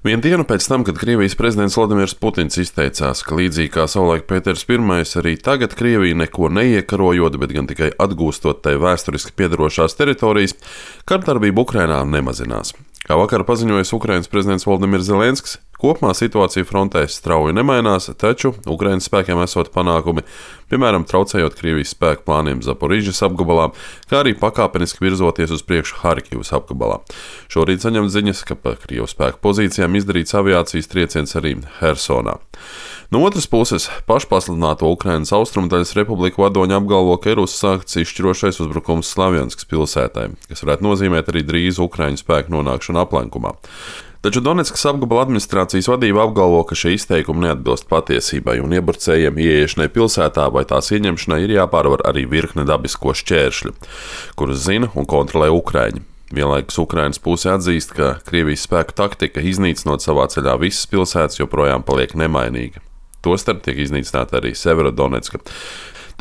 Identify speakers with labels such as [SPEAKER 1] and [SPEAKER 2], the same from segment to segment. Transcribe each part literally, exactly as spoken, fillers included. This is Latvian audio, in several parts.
[SPEAKER 1] Vienu dienu pēc tam, kad Krievijas prezidents Vladimirs Putins izteicās, ka līdzīgi kā savulaik Pēters Pirmais, arī tagad Krievija neko neiekarojot, bet gan tikai atgūstot tai vēsturiski piederošās teritorijas, kardarbība Ukrainā nemazinās. Kā vakar paziņojis Ukrainas prezidents Volodimirs Zelenskis, kopumā situācija frontē strauji nemainās, taču Ukrainas spēkiem esot panākumi, piemēram, traucējot Krievijas spēku plāniem Zaporižas apgabalā, kā arī pakāpeniski virzoties uz priekšu Harkivas apgabalā. Šorīt saņemt ziņas, ka pa Krievu spēku pozīcijām izdarīts aviācijas trieciens arī Hersonā. No otras puses, pašpasludināto Ukrainas austrumdaļas republiku vadoņi apgalvo, ka ir uzsākts izšķirošais uzbrukums Slavjanskas pilsētai, kas varētu nozīmēt arī drīz Ukraiņu spēku nonākšanu aplenkumā. Taču Donetskas apgabala administrācijas vadība apgalvo, ka šie izteikumi neatbilst patiesībai un iebrucējiem ieiešanai pilsētā vai tās ieņemšanai ir jāpārvar arī virkne dabisko šķēršļu, kurus zina un kontrolē Ukraiņi. Vienlaikus Ukrainas puse atzīst, ka Krievijas spēku taktika iznīcinot savā ceļā visas pilsētas joprojām paliek nemainīga. Tostarp tiek iznīcināta arī Severodonetska.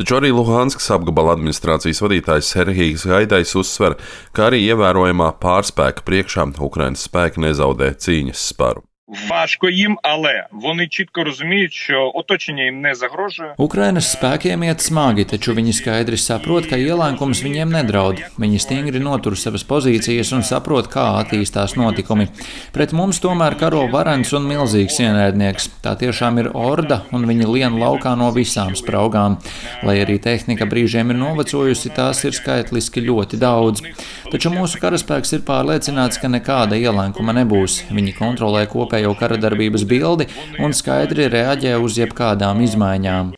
[SPEAKER 1] Taču arī Luhanskas apgabala administrācijas vadītājs Serhijs Gaidais uzsver, ka arī ievērojamā pārspēka priekšā Ukrainas spēki nezaudē cīņas sparu.
[SPEAKER 2] Важко їм, але вони чітко розуміють, що оточення їм не загрожує.
[SPEAKER 3] Ukrainas spēkiem iet smagi, taču viņi skaidri saprot, ka ielēkums viņiem nedraud. Viņi stingri notur savas pozīcijas un saprot, kā attīstās notikumi. Pret mums tomēr karo varens un milzīgs ienaidnieks. Tā tiešām ir orda, un viņi lien laukā no visām spraugām. Lai arī tehnika brīžiem ir novecojusi, tās ir skaitliski ļoti daudz. Taču mūsu karaspēks ir pārliecināts, ka nekāda ielēkuma nebūs. Viņi kontrolē kopēju jau kara darbības bildi un skaidri reaģē uz jebkādām izmaiņām.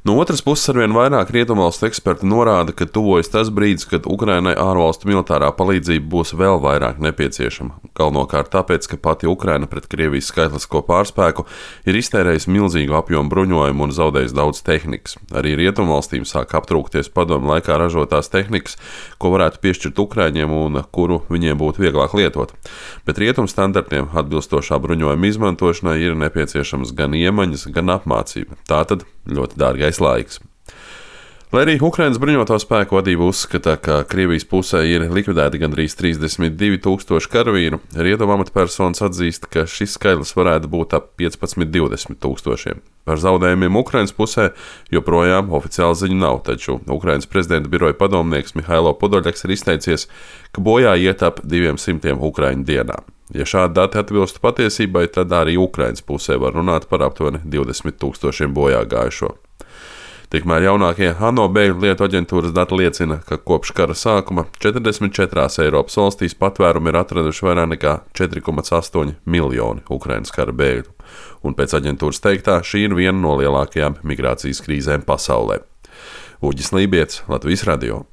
[SPEAKER 1] No otras puses, arvien vairāk rietumvalstu eksperti norāda, ka tuvojas tas brīdis, kad Ukrainai ārvalstu militārā palīdzība būs vēl vairāk nepieciešama. Galvenokārt tāpēc, ka pati Ukraina pret Krievijas skaitlisko pārspēku ir iztērējusi milzīgu apjomu bruņojumu un zaudējusi daudz tehnikas. Arī rietumvalstīm sāk aptrūkties padomu laikā ražotās tehnikas, ko varētu piešķirt Ukraiņiem un kuru viņiem būtu vieglāk lietot. Bet rietumu standartiem atbilstošā bruņojuma izmantošanai ir nepieciešams gan iemaņas, gan apmācība. Tātad ļoti dārgais laiks. Lai arī Ukrainas bruņoto spēku vadība uzskata, ka Krievijas pusē ir likvidēti gandrīz trīsdesmit divi tūkstoši karavīru, rietumu amatpersonas atzīst, ka šis skaitlis varētu būt ap piecpadsmit līdz divdesmit tūkstošiem. Par zaudējumiem Ukrainas pusē joprojām oficiāli ziņu nav, taču Ukrainas prezidenta biroja padomnieks Mihailo Podoļaks ir izteicies, ka bojā iet ap diviem simtiem Ukraiņu dienā. Ja šādi dati atbilstu patiesībai, tad arī Ukrainas pusē var runāt par aptuveni divdesmit tūkstošiem bojā gājušo. Tikmēr jaunākie ANO bēgļu lietu aģentūras dati liecina, ka kopš kara sākuma četrdesmit četrās Eiropas valstīs patvērumu ir atraduši vairāk nekā četri komats astoņi miljoni Ukrainas kara bēgļu. Un pēc aģentūras teiktā, šī ir viena no lielākajām migrācijas krīzēm pasaulē. Uģis Lībijets, Latvijas radio.